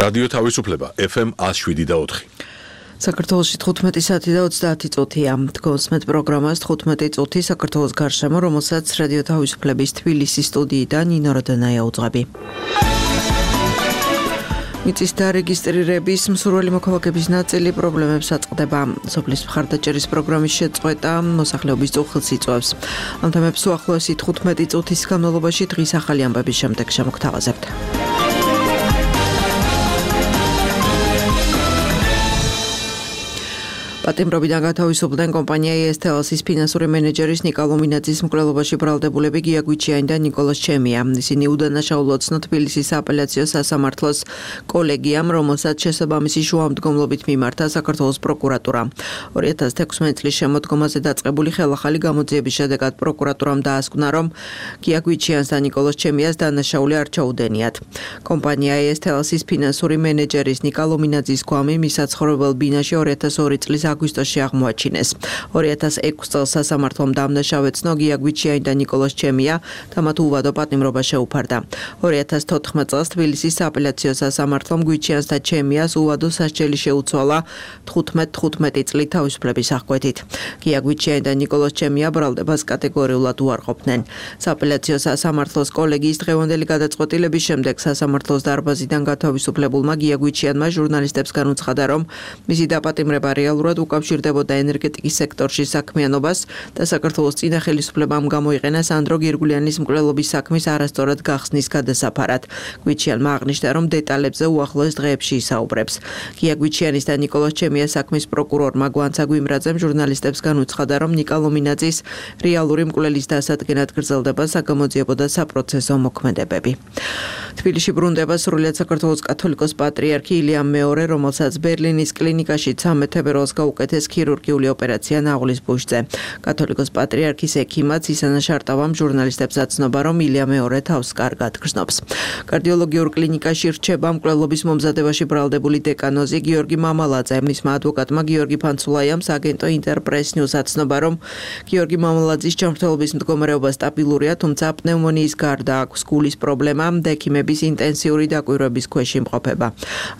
რადიო თავისუფლება FM 107.4. საქართველოში 15 საათი და 30 წუთია. გოსმეთ პროგრამას 15 წუთი საქართველოს გარშემო, რომელსაც რადიო თავისუფლების თბილისის სტუდიიდან ნინო როდანაია უძღვები. მიწის დარეგისტრირების მსურველი მოქალაქეების ნაწილი პრობლემებს აწყდება. სოფლის მხარდაჭერის პროგრამის შეწყვეტა მოსახლეობის წუხილს იწვევს. ამ თემებს უახლოესი 15 წუთის განმავლობაში დღის ახალი ამბების შემდეგ შემოგთავაზებთ. პატიმრობიდან გათავისუფლდნენ კომპანია ESTELS-ის ფინანსური მენეჯერის ნიკა ლომინაძის მკვლელობაში ბრალდებულები გია გვიჩიანი და ნიკოლოზ ჩემია. ისინი udანაშაულო ცნო თბილისის აპელაციო სასამართლოს კოლეგიამ, რომელსაც შესაბამისი შუამდგომლობით მიმართა საქართველოს პროკურატურა. 2016 წლის შემოდგომაზე დაწყებული ხელახალი გამოძიების შედეგად პროკურატურამ დაასკვნა, რომ გია გვიჩიანს და ნიკოლოზ ჩემიას დანაშაული არ ჩაუდენიათ. კომპანია ESTELS-ის ფინანსური მენეჯერის ნიკა ლომინაძის გვამი მის საცხოვრებელ ბინაში 2002 წლის აგვისტოში აღმოაჩინეს. 2006 წელს სასამართლომ დამნაშავეცნო გია გვიჩიანი და ნიკოლოზ ჩემია და მათ უვადო პატიმრობა შეუფარდა. 2014 წელს თბილისის სააპელაციო სასამართლომ გვიჩიანს და ჩემიას უვადო სასჯელი შეუცვალა 15 წლით თავისუფლების აღკვეთით. გია გვიჩიანი და ნიკოლოზ ჩემია ბრალდებას კატეგორიულად უარყოფდნენ. სააპელაციო სასამართლოს კოლეგიის დღევანდელი გადაწყვეტილების შემდეგ სასამართლოს დარბაზიდან გათავისუფლებულმა გია გვიჩიანმა ჟურნალისტებს განუცხადა, რომ მისი დაპატიმრება რეალურად უკავშირდებოდა ენერგეტიკის სექტორში საქმიანობას და საქართველოს წინა ხელისუფლებამ გამოიყენა სანდრო გირგულიანის მკვლელობის საქმის არასწორად გახსნის გადასაფარად. გვიჩიანმა აღნიშნა, რომ დეტალებზე უახლოეს დღეებში ისაუბრებს. გია გვიჩიანის და ნიკოლოზ ჩემიას საქმის პროკურორმა გვანცა გვიმრაძემ ჟურნალისტებს განუცხადა, რომ ნიკა ლომინაძის რეალური მკვლელის დასადგენად გრძელდება საგამოძიებო და საპროცესო მოქმედებები. თბილისში ბრუნდება სრულიად საქართველოს კათოლიკოს პატრიარქი ილიამ მეორე, რომელსაც ბერლინის კლინიკაში 13 თებერვალს გაუკეთეს ქირურგიული ოპერაცია ნაღვლის ბუჟზე. კათოლიკოს პატრიარქის ექიმაც ისანა შარტავამ ჟურნალისტებს აცნობა, რომ ილია მეორე თავს კარგად გრძნობს. კარდიოლოგიურ კლინიკაში რჩება მკვლელობის მომზადებაში ბრალდებული დეკანოზი გიორგი მამალაძე. მისმა ადვოკატმა გიორგი ფანცულაიამ აგენტო ინტერპრეს ნიუს აცნობა, რომ გიორგი მამალაძის ჯანმრთელობის მდგომარეობა სტაბილურია, თუმცა პნევმონიის გარდა აქვს გულის პრობლემა და ექიმების ინტენსიური დაკვირვების ქვეშ იმყოფება.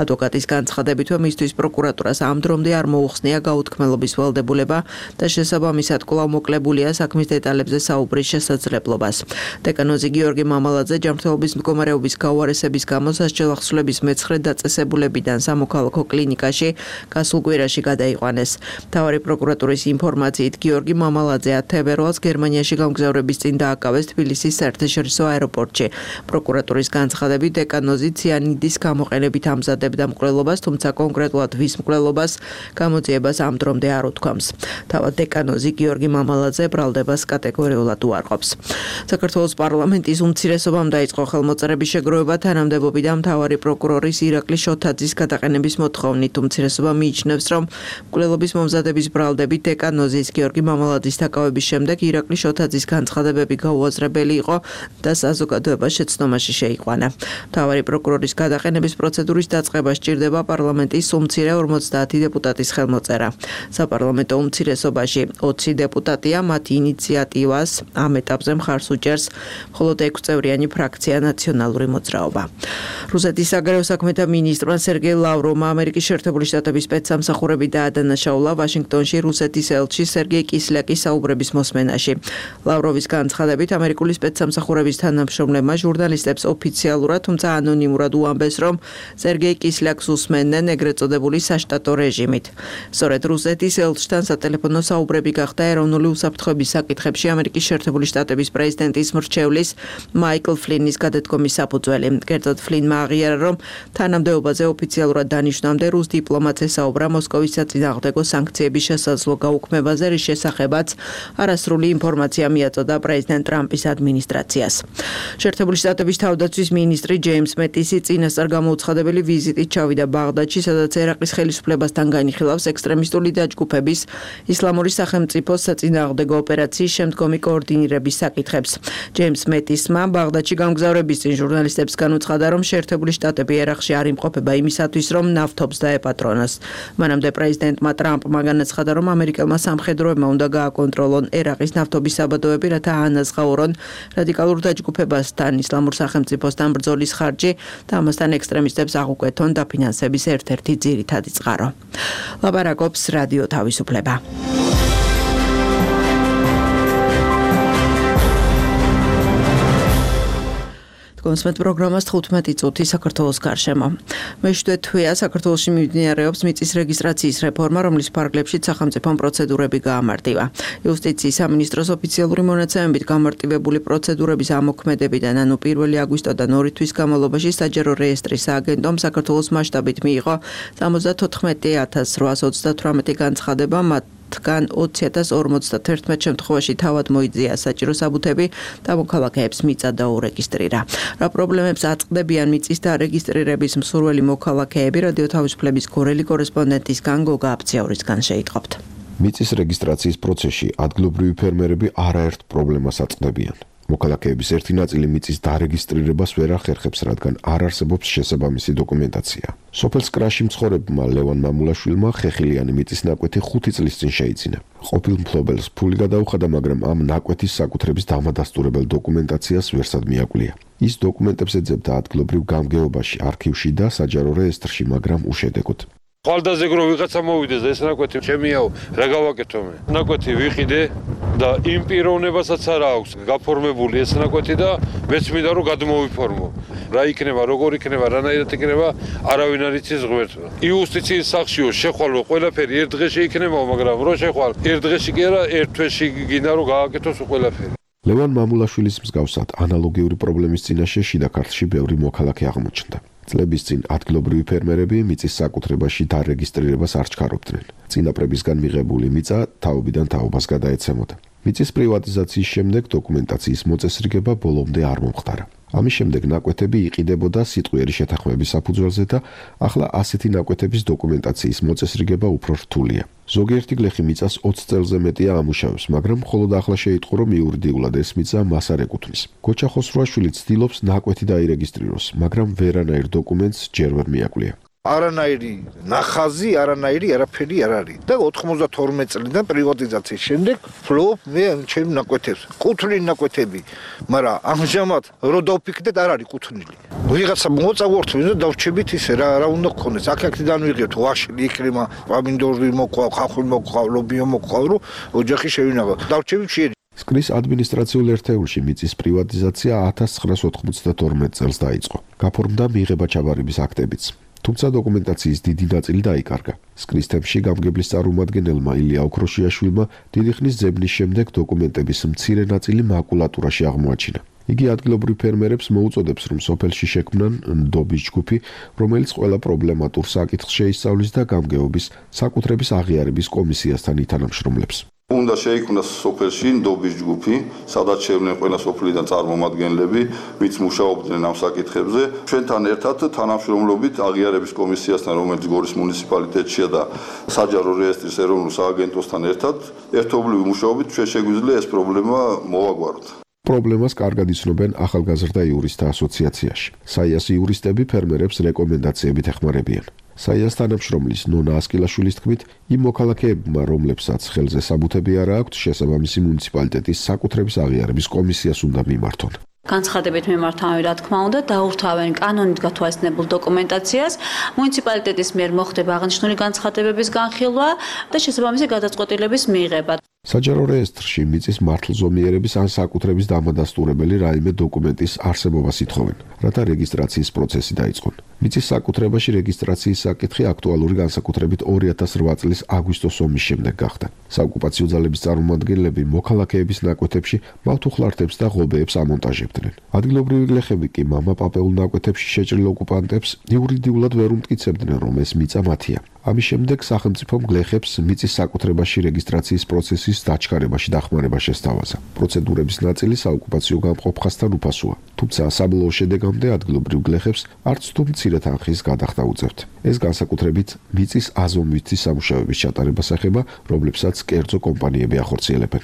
ადვოკატის განცხადებითვე მისთვის პროკურატურას ამ დრომდე არ მოუხსნია გაუთქმელობის ვალდებულება და შესაბამისად კვლავ მოკლებულია საქმის დეტალებზე საუბრის შესაძლებლობას. დეკანოზი გიორგი მამალაძე ჯანმრთელობის მდგომარეობის გაუარესების გამო სასჯელახსნილების მეცხრე დაწესებულებიდან სამოქალაქო კლინიკაში გასულ კვირაში გადაიყვანეს. მთავარი პროკურატურის ინფორმაციით გიორგი მამალაძე 10 თებერვალს გერმანიაში გამგზავრების წინ დააკავეს თბილისის საერთაშორისო აეროპორტში. პროკურატურის განცხადებით დეკანოზი ციანიდის გამოყენებით ამზადებდა მკვლელობას, თუმცა კონკრეტულად ვის მკვლელობას გამოძიებას ამ დრომდე არ უთქვამს. თავად დეკანოზი გიორგი მამალაძე ბრალდებას კატეგორიულად უარყოფს. საქართველოს პარლამენტის უმცირესობამ დაიწყო ხელმოწერების შეგროვება თანამდებობი და მთავარი პროკურორის ირაკლი შოთაძის გადაყენების მოთხოვნით. უმცირესობა მიიჩნევს, რომ მკვლელობის მომზადების ბრალდებით დეკანოზის გიორგი მამალაძის დაკავების შემდეგ ირაკლი შოთაძის განცხადებები გაუაზრებელი იყო და საზოგადოება შეცდომაში შეიყვანა. მთავარი პროკურორის გადაყენების პროცედურის დაწყება სჭირდება პარლამენტის უმცირე 50 დეპუტატის ხელმოწერა. საპარლამენტო უმცირესობაში 20 დეპუტატია, მათი ინიციატივას ამ ეტაპზე მხარს უჭერს მხოლოდ 6 წევრიანი ფრაქცია ნაციონალური მოძრაობა. რუსეთის საგარეო საქმეთა მინისტრმა სერგეი ლავროვმა ამერიკის შეერთებული შტატების სპეცსამსახურები დაადანაშაულა ვაშინგტონში რუსეთის ელჩი სერგეი კისლიაკის საუბრების მოსმენაში. ლავროვის განცხადებით ამერიკული სპეცსამსახურების თანამშრომლებმა ჟურნალისტებს ოფიციალურად, თუმცა ანონიმურად უამბეს, რომ სერგეი კისლიაკს უსმენდნენ ეგრეთ წოდებული საშტატო რეჟიმით. სწორედ რუსეთის ელჩთან სატელეფონო საუბრები გახდა ეროვნული უსაფრთხოების საკითხებში ამერიკის შეერთებული შტატების პრეზიდენტის მრჩევლის მაიკლ ფლინის გადადგომის საფუძველი. კერძოდ ფლინმა აღიარა, რომ თანამდებობაზე ოფიციალურად დანიშნამდე რუს დიპლომატს ესაუბრა მოსკოვის საწინააღმდეგო სანქციების შესაძლო გაუქმებაზე, რის შესახებაც არასრული ინფორმაცია მიაწოდა პრეზიდენტ ტრამპის ადმინისტრაციას. შეერთებული შტატების თავდაცვის მინისტრი ჯეიმს მეტისი წინასწარ გამოუცხადებელი ვიზიტით ჩავიდა ბაღდადში, სადაც ერაყის ხელისუფლებასთან განიხილავს ექსტრემისტულ ექსტრემისტული დაჯგუფების ისლამური სახელმწიფოს საწინააღმდეგო ოპერაციის შემდგომი კოორდინირების საკითხებს. ჯეიმს მეტისმა ბაღდადში გამგზავრების წინ ჟურნალისტებს განუცხადა, რომ შეერთებული შტატები ერაყში არ იმყოფება იმისათვის, რომ ნავთობს დაეპატრონოს. მანამდე პრეზიდენტმა ტრამპმა განაცხადა, რომ ამერიკელმა სამხედროებმა უნდა გააკონტროლონ ერაყის ნავთობის საბადოები, რათა აანაზღაურონ რადიკალურ დაჯგუფებასთან ისლამურ სახელმწიფოსთან ბრძოლის ხარჯი და ამასთან ექსტრემისტებს აღუკვეთონ დაფინანსების ერთ-ერთი ძირითადი წყარო. ლაპარაკობს რადიო თავისუფლება. კონსმეთ პროგრამას 15 წუთი საქართველოს გარშემო. მეშვიდე თვეა საქართველოში მიმდინარეობს მიწის რეგისტრაციის რეფორმა, რომლის ფარგლებშიც სახელმწიფომ პროცედურები გაამარტივა. იუსტიციის სამინისტროს ოფიციალური მონაცემებით გამარტივებული პროცედურების ამოქმედებიდან, ანუ 1 აგვისტოდან 2 თვის განმავლობაში საჯარო რეესტრის სააგენტომ საქართველოს მასშტაბით მიიღო 74838 განცხადება, თან 20041 შემთხვევაში თავად მოიძია საჭირო საბუთები და მოქალაქეებს მიწა დაურეგისტრირა. რა პრობლემებს აწყდებიან მიწის დარეგისტრირების მსურველი მოქალაქეები, რადიო თავისუფლების გორელი კორესპონდენტისგან გოგა აფციაურისგან შეიტყობთ. მიწის რეგისტრაციის პროცესში ადგილობრივი ფერმერები არაერთ პრობლემას აწყდებიან. მოქალაქეების ერთი ნაწილი მიწის დარეგისტრირებას ვერ ახერხებს, რადგან არ არსებობს შესაბამისი დოკუმენტაცია. სოფელ სკრაში მცხოვრებმა ლევან მამულაშვილმა ხეხილიანი მიწის ნაკვეთი 5 წლის წინ შეიძინა. ყოფილ მფლობელს ფული გადაუხადა, მაგრამ ამ ნაკვეთის საკუთრების დამადასტურებელ დოკუმენტაციას ვერსად მიაკვლია. ის დოკუმენტებს ეძებდა ადგილობრივ გამგეობაში, არქივში და საჯარო რეესტრში, მაგრამ უშედეგოდ. ხვალდაზე რო ვიღაცა მოვიდეს და ეს ნაკვეთი ჩემიაო, რა გავაკეთო მე? ნაკვეთი ვიყიდე და იმ პიროვნებასაც არ აქვს გაფორმებული ეს ნაკვეთი და მეც მინდა რომ გადმოვიფორმო. რა იქნება, როგორ იქნება, რანაირად იქნება, არავინ არ იცის ღმერთმა. იუსტიციის სახშიო შეხვალო ყველაფერი ერთ დღეში იქნებაო, მაგრამ რო შეხვალ ერთ დღეში კი არა, ერთ თვეში გინდა რომ გააკეთოს ყველაფერი. ლევან მამულაშვილის მსგავსად ანალოგიური პრობლემის წინაშე შიდა ქართლში ბევრი მოქალაქე აღმოჩნდა. წლების წინ ადგილობრივი ფერმერები მიწის საკუთრებაში დარეგისტრირებას არ ჩქარობდნენ. წინაპრებისგან მიღებული მიწა თაობიდან თაობას გადაეცემოდა. მიწის პრივატიზაციის შემდეგ დოკუმენტაციის მოწესრიგება ბოლომდე არ მომხდარა. ამის შემდეგ ნაკვეთები იყიდებოდა სიტყვიერი შეთანხმების საფუძველზე და ახლა ასეთი ნაკვეთების დოკუმენტაციის მოწესრიგება უფრო რთულია. ზოგიერთი გლეხი მიწას 20 წელზე მეტია ამუშავებს, მაგრამ მხოლოდ ახლა შეიტყო, რომ იურიდიულად ეს მიწა მას არ ეკუთვნის. გოჩა ხოსროაშვილი ცდილობს ნაკვეთი დაირეგისტრიროს, მაგრამ ვერანაირ დოკუმენტს ჯერ ვერ მიაკვლია. არანაირი ნახაზი, არანაირი არაფერი არ არის. და 92 წლიდან პრივატიზაციის შემდეგ ფლობ მე ჩემ ნაკვეთებს. კუთვნილი ნაკვეთები, მაგრამ ამჟამად რო დავფიქრდეთ არ არის კუთვნილი. ვიღაცა მოწავორთვით და დავრჩებით ისე რა უნდა გქონდეს. აქ-აქედან ვიღებთ ვაშლი, იქრემა, პამინდორი მოყვა, ხახული მოყვა, ლობიო მოყვა, რომ ოჯახი შევინახავ. დავრჩებით შეერი. სკრის ადმინისტრაციულ ერთეულში მიწის პრივატიზაცია 1992 წელს დაიწყო. გაფორმდა მიღება ჩაბარების აქტებიც. თუმცა დოკუმენტაციის დიდი ნაწილი დაიკარგა. სკრის თემში გამგებლის წარმომადგენელმა ილია ოქროშიაშვილმა დიდი ხნის ძებნის შემდეგ დოკუმენტების მცირე ნაწილი მაკულატურაში აღმოაჩინა. იგი ადგილობრივ ფერმერებს მოუწოდებს, რომ სოფელში შექმნან ნდობის ჯგუფი, რომელიც ყველა პრობლემატურ საკითხს შეისწავლის და გამგეობის საკუთრების აღიარების კომისიასთან ითანამშრომლებს. უნდა შეიქმნას სოფელში ნდობის ჯგუფი, სადაც შევლენ ყველა სოფლიდან წარმომადგენლები, ვინც მუშაობდნენ ამ საკითხებზე. ჩვენთან ერთად თანამშრომლობით აღიარების კომისიასთან, რომელიც გორის მუნიციპალიტეტშია და საჯარო რეესტრის ეროვნულ სააგენტოსთან ერთად, ერთობლივი მუშაობით ჩვენ შეგვიძლია ეს პრობლემა მოვაგვაროთ. პრობლემას კარგად იცნობენ ახალგაზრდა იურისტთა ასოციაციაში. საიას იურისტები ფერმერებს რეკომენდაციებით ეხმარებიან. საიას თანამშრომლის ნონა ასკილაშვილის თქმით, იმ მოქალაქეებმა, რომლებსაც ხელზე საბუთები არ აქვთ, შესაბამისი მუნიციპალიტეტის საკუთრების აღიარების კომისიას უნდა მიმართონ. განცხადებით მიმართავენ, რა თქმა უნდა, დაურთავენ კანონით გათვალისწინებულ დოკუმენტაციას, მუნიციპალიტეტის მიერ მოხდება აღნიშნული განცხადებების განხილვა და შესაბამისი გადაწყვეტილების მიღება. საჯარო რეესტრში მიწის მართლზომიერების ან საკუთრების დამადასტურებელი რაიმე დოკუმენტის არსებობას ითხოვენ, რათა რეგისტრაციის პროცესი დაიწყონ. მიწის საკუთრებაში რეგისტრაციის საკითხი აქტუალური განსაკუთრებით 2008 წლის აგვისტოს ომის შემდეგ გახდა. საოკუპაციო ძალების წარმომადგენლები მოქალაქეების ნაკვეთებში მავთუხლართებს და ღობეებს ამონტაჟებდნენ. ადგილობრივი გლეხები კი მამაპაპეულ ნაკვეთებში შეჭრილ ოკუპანტებს იურიდიულად ვერ უმტკიცებდნენ, რომ ეს მიწა მათია. ამის შემდეგ სახელმწიფომ გლეხებს მიწის საკუთრებაში რეგისტრაციის პროცესის დაჩქარებაში დახმარება შესთავაზა. პროცედურების ნაწილი საოკუპაციო გამყოფ ხაზთან უფასოა, თუმცა საბოლოო შედეგამდე ადგილობრივ გლეხებს არც თუ მცირე მცირე თანხის გადახდა უწევთ. ეს განსაკუთრებით მიწის აზომვითის სამუშაოების ჩატარებას ეხება, რომლებსაც კერძო კომპანიები ახორციელებენ.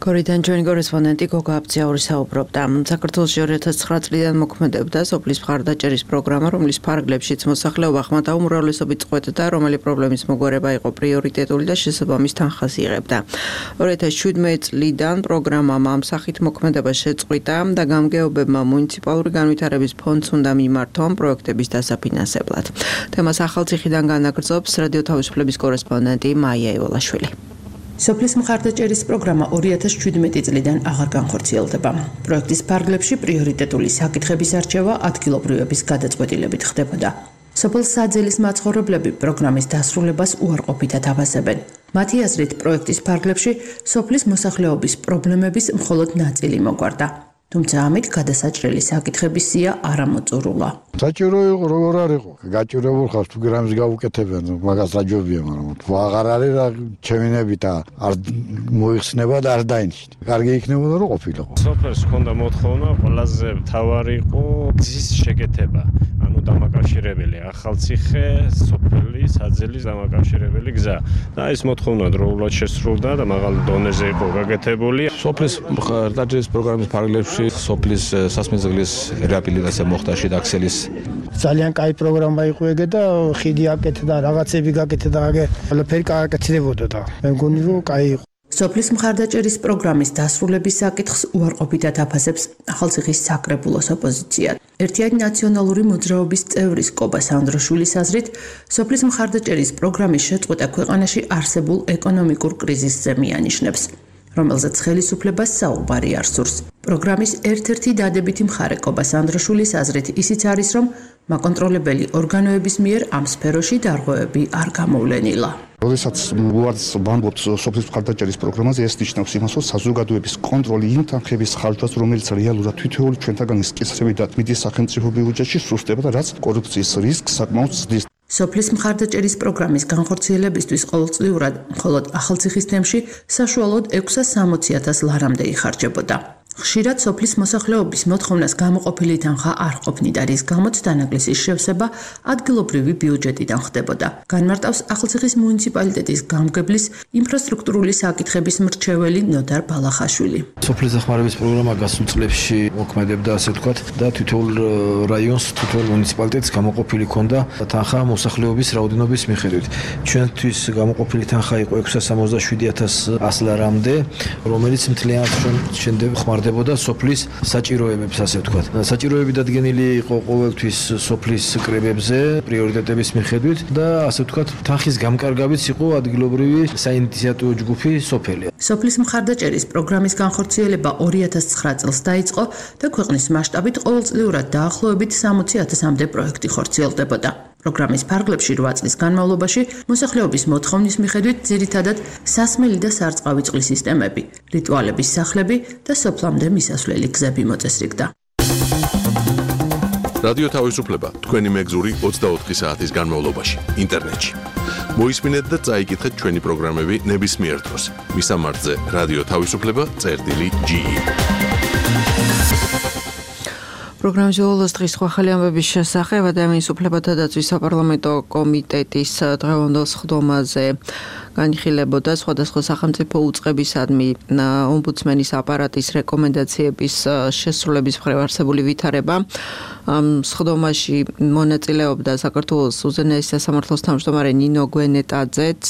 გორიდან ჩვენი კორესპონდენტი გოგა აბძიაური საუბრობდა. საქართველოში 2009 წლიდან მოქმედებდა სოფლის მხარდაჭერის პროგრამა, რომლის ფარგლებშიც მოსახლეობა ხმათა უმრავლესობით წყვეტდა, რომელი პრობლემის მოგვარება იყო პრიორიტეტული და შესაბამის თანხას იღებდა. 2017 წლიდან პროგრამამ ამ სახით მოქმედება შეწყვიტა და გამგეობებმა მუნიციპალური განვითარების ფონდს უნდა მიმართონ პროექტების დასაფინანსებლად. თემას ახალციხიდან განაგრძობს რადიო თავისუფლების კორესპონდენტი მაია ივოლაშვილი. სოფლის მხარდაჭერის პროგრამა 2017 წლიდან აღარ განხორციელდება. პროექტის ფარგლებში პრიორიტეტული საკითხების არჩევა ადგილობრივების გადაწყვეტილებით ხდებოდა. სოფელ საძელის მაცხოვრებლები პროგრამის დასრულებას უარყოფითად აფასებენ. მათი აზრით, პროექტის ფარგლებში სოფლის მოსახლეობის პრობლემების მხოლოდ ნაწილი მოგვარდა. თუმცა ამით გადასაჭრელი საკითხების სია არ ამოწურულა. საჭირო იყო, როგორ არ იყო? გაჭირებულ ხარ თუ გრამს გავუკეთებენ, მაგას რა ჯობია, მაგრამ თუ აღარ არის რა ჩემინები და არ მოიხსნება და არ დაინიშნა. კარგი იქნებოდა რომ ყოფილიყო. სოფელს ჰქონდა მოთხოვნა, ყველაზე მთავარი იყო გზის შეკეთება. ანუ დამაკავშირებელი ახალციხე, სოფელი, საძელის დამაკავშირებელი გზა. და ეს მოთხოვნა დროულად შესრულდა და მაღალ დონეზე იყო გაკეთებული. სოფლის მხარდაჭერის პროგრამის ფარგლებში სოფლის სასმეძღლის რეაბილიტაცია მოხდა შიდა ქსელის. ძალიან კაი პროგრამა იყო ეგ და ხიდი აკეთდა, რაღაცები გაკეთდა და ყველაფერი გააკეთდებოდა და მე მგონი რომ კაი იყო. სოფლის მხარდაჭერის პროგრამის დასრულების საკითხს უარყოფითად აფასებს ახალციხის საკრებულოს ოპოზიცია. ერთიანი ნაციონალური მოძრაობის წევრის კობა სანდროშვილის აზრით, სოფლის მხარდაჭერის პროგრამის შეწყვეტა ქვეყანაში არსებულ ეკონომიკურ კრიზისზე მიანიშნებს, რომელზეც ხელისუფლებას საუბარი არ სურს. პროგრამის ერთ-ერთი დადებითი მხარე კობა სანდროშვილის აზრით ისიც არის, რომ მაკონტროლებელი ორგანოების მიერ ამ სფეროში დარღვევები არ გამოვლენილა. როდესაც ვარდს ვამბობთ სოფლის მხარდაჭერის პროგრამაზე, ეს ნიშნავს იმას, რომ საზოგადოების კონტროლი იმ თანხების ხარჯვას, რომელიც რეალურად თითოეული ჩვენთაგანის კისრებიდან მიდის სახელმწიფო ბიუჯეტში, სუსტდება და რაც კორუფციის რისკს საკმაოდ ზრდის. სოფლის მხარდაჭერის პროგრამის განხორციელებისთვის ყოველწლიურად მხოლოდ ახალციხის თემში საშუალოდ 660.000 ლარამდე იხარჯებოდა. ხშირად სოფლის მოსახლეობის მოთხოვნას გამოყოფილი თანხა არ ყოფნიდა, რის გამოც დანაკლისის შევსება ადგილობრივი ბიუჯეტიდან ხდებოდა. განმარტავს ახალციხის მუნიციპალიტეტის გამგებლის ინფრასტრუქტურული საკითხების მრჩეველი ნოდარ ბალახაშვილი. სოფლის დახმარების პროგრამა გასულ წლებში მოქმედებდა, ასე ვთქვათ, და თითოეულ რაიონს, თითოეულ მუნიციპალიტეტს გამოყოფილი ჰქონდა თანხა მოსახლეობის რაოდენობის მიხედვით. ჩვენთვის გამოყოფილი თანხა იყო 667.100 ლარამდე, რომელიც მთლიანად შემდეგ ხმარდებოდა სოფლის საჭიროებებს, ასე ვთქვათ. საჭიროები დადგენილი იყო ყოველთვის სოფლის კრებებზე, პრიორიტეტების მიხედვით და ასე ვთქვათ, თანხის გამკარგავიც იყო ადგილობრივი საინიციატივო ჯგუფი სოფელი. სოფლის მხარდაჭერის პროგრამის განხორციელება 2009 წელს დაიწყო და ქვეყნის მასშტაბით ყოველწლიურად დაახლოებით 60.000-მდე პროექტი ხორციელდებოდა. პროგრამის ფარგლებში 8 წლის განმავლობაში მოსახლეობის მოთხოვნის მიხედვით ძირითადად სასმელი და სარწყავი წყლის სისტემები, რიტუალების სახლები და სოფლამდე მისასვლელი გზები მოწესრიგდა. რადიო თავისუფლება თქვენი მეგზური 24 საათის განმავლობაში ინტერნეტში. მოისმინეთ და წაიკითხეთ ჩვენი პროგრამები ნებისმიერ დროს. მისამართზე რადიო თავისუფლება.ge. პროგრამის ბოლოს დღის სხვა ხელი ამბების შესახებ ადამიანის უფლებათა დაცვის საპარლამენტო კომიტეტის დღევანდელ სხდომაზე განიხილებოდა სხვადასხვა სახელმწიფო უწყებისადმი ომბუდსმენის აპარატის რეკომენდაციების შესრულების მხრივ არსებული ვითარება. სხდომაში მონაწილეობდა საქართველოს უზენაესი სასამართლოს თავმჯდომარე ნინო გვენეტაძეც,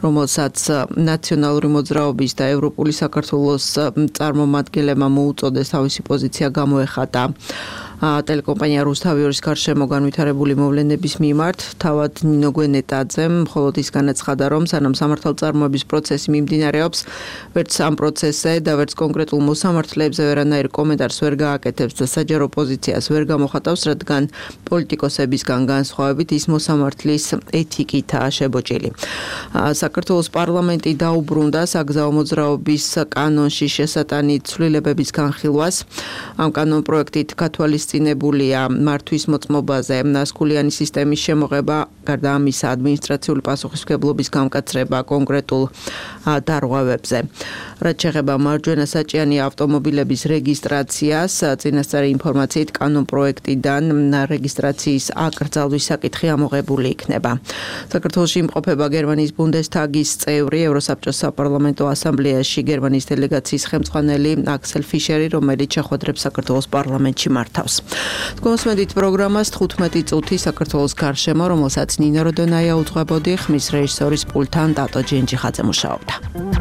რომელსაც ნაციონალური მოძრაობის და ევროპული საქართველოს წარმომადგენლებმა მოუწოდეს თავისი პოზიცია გამოეხატა ტელეკომპანია რუსთავიორის გარშემო განვითარებული მოვლენების მიმართ. თავად ნინო გვენეტაძემ მხოლოდ ის განაცხადა, რომ სანამ სამართალწარმოების პროცესი მიმდინარეობს, ვერც ამ პროცესზე და ვერც კონკრეტულ მოსამართლეებზე ვერანაირ კომენტარს ვერ გააკეთებს და საჯარო პოზიციას ვერ გამოხატავს, რადგან პოლიტიკოსებისგან განსხვავებით ის მოსამართლის ეთიკითაა შებოჭილი. საქართველოს პარლამენტი დაუბრუნდა საგზაო მოძრაობის კანონში შესატანი ცვლილებების განხილვას. ამ კანონპროექტით ქათვალის გაგრძელებულია მართვის მოწმობაზე, ნასკულიანი სისტემის შემოღება, გარდა ამისა ადმინისტრაციული პასუხისმგებლობის გამკაცრება კონკრეტულ დარღვევებზე. რაც შეეხება მარჯვენა საჭიანი ავტომობილების რეგისტრაციას, წინასწარი ინფორმაციით კანონპროექტიდან რეგისტრაციის აკრძალვის საკითხი ამოღებული იქნება. საქართველოში იმყოფება გერმანიის ბუნდესტაგის წევრი, ევროსაბჭოს საპარლამენტო ასამბლეაში გერმანიის დელეგაციის ხელმძღვანელი აქსელ ფიშერი, რომელიც შეხვედრებს საქართველოს პარლამენტში მართავს. თქვენსმენდით პროგრამას 15 წუთი საქართველოს გარშემო, რომელსაც ნინა როდონაია უძღვებოდი, ხმის რეჟისორის პულტთან ტატო ჯენჯიხაძე მუშაობდა.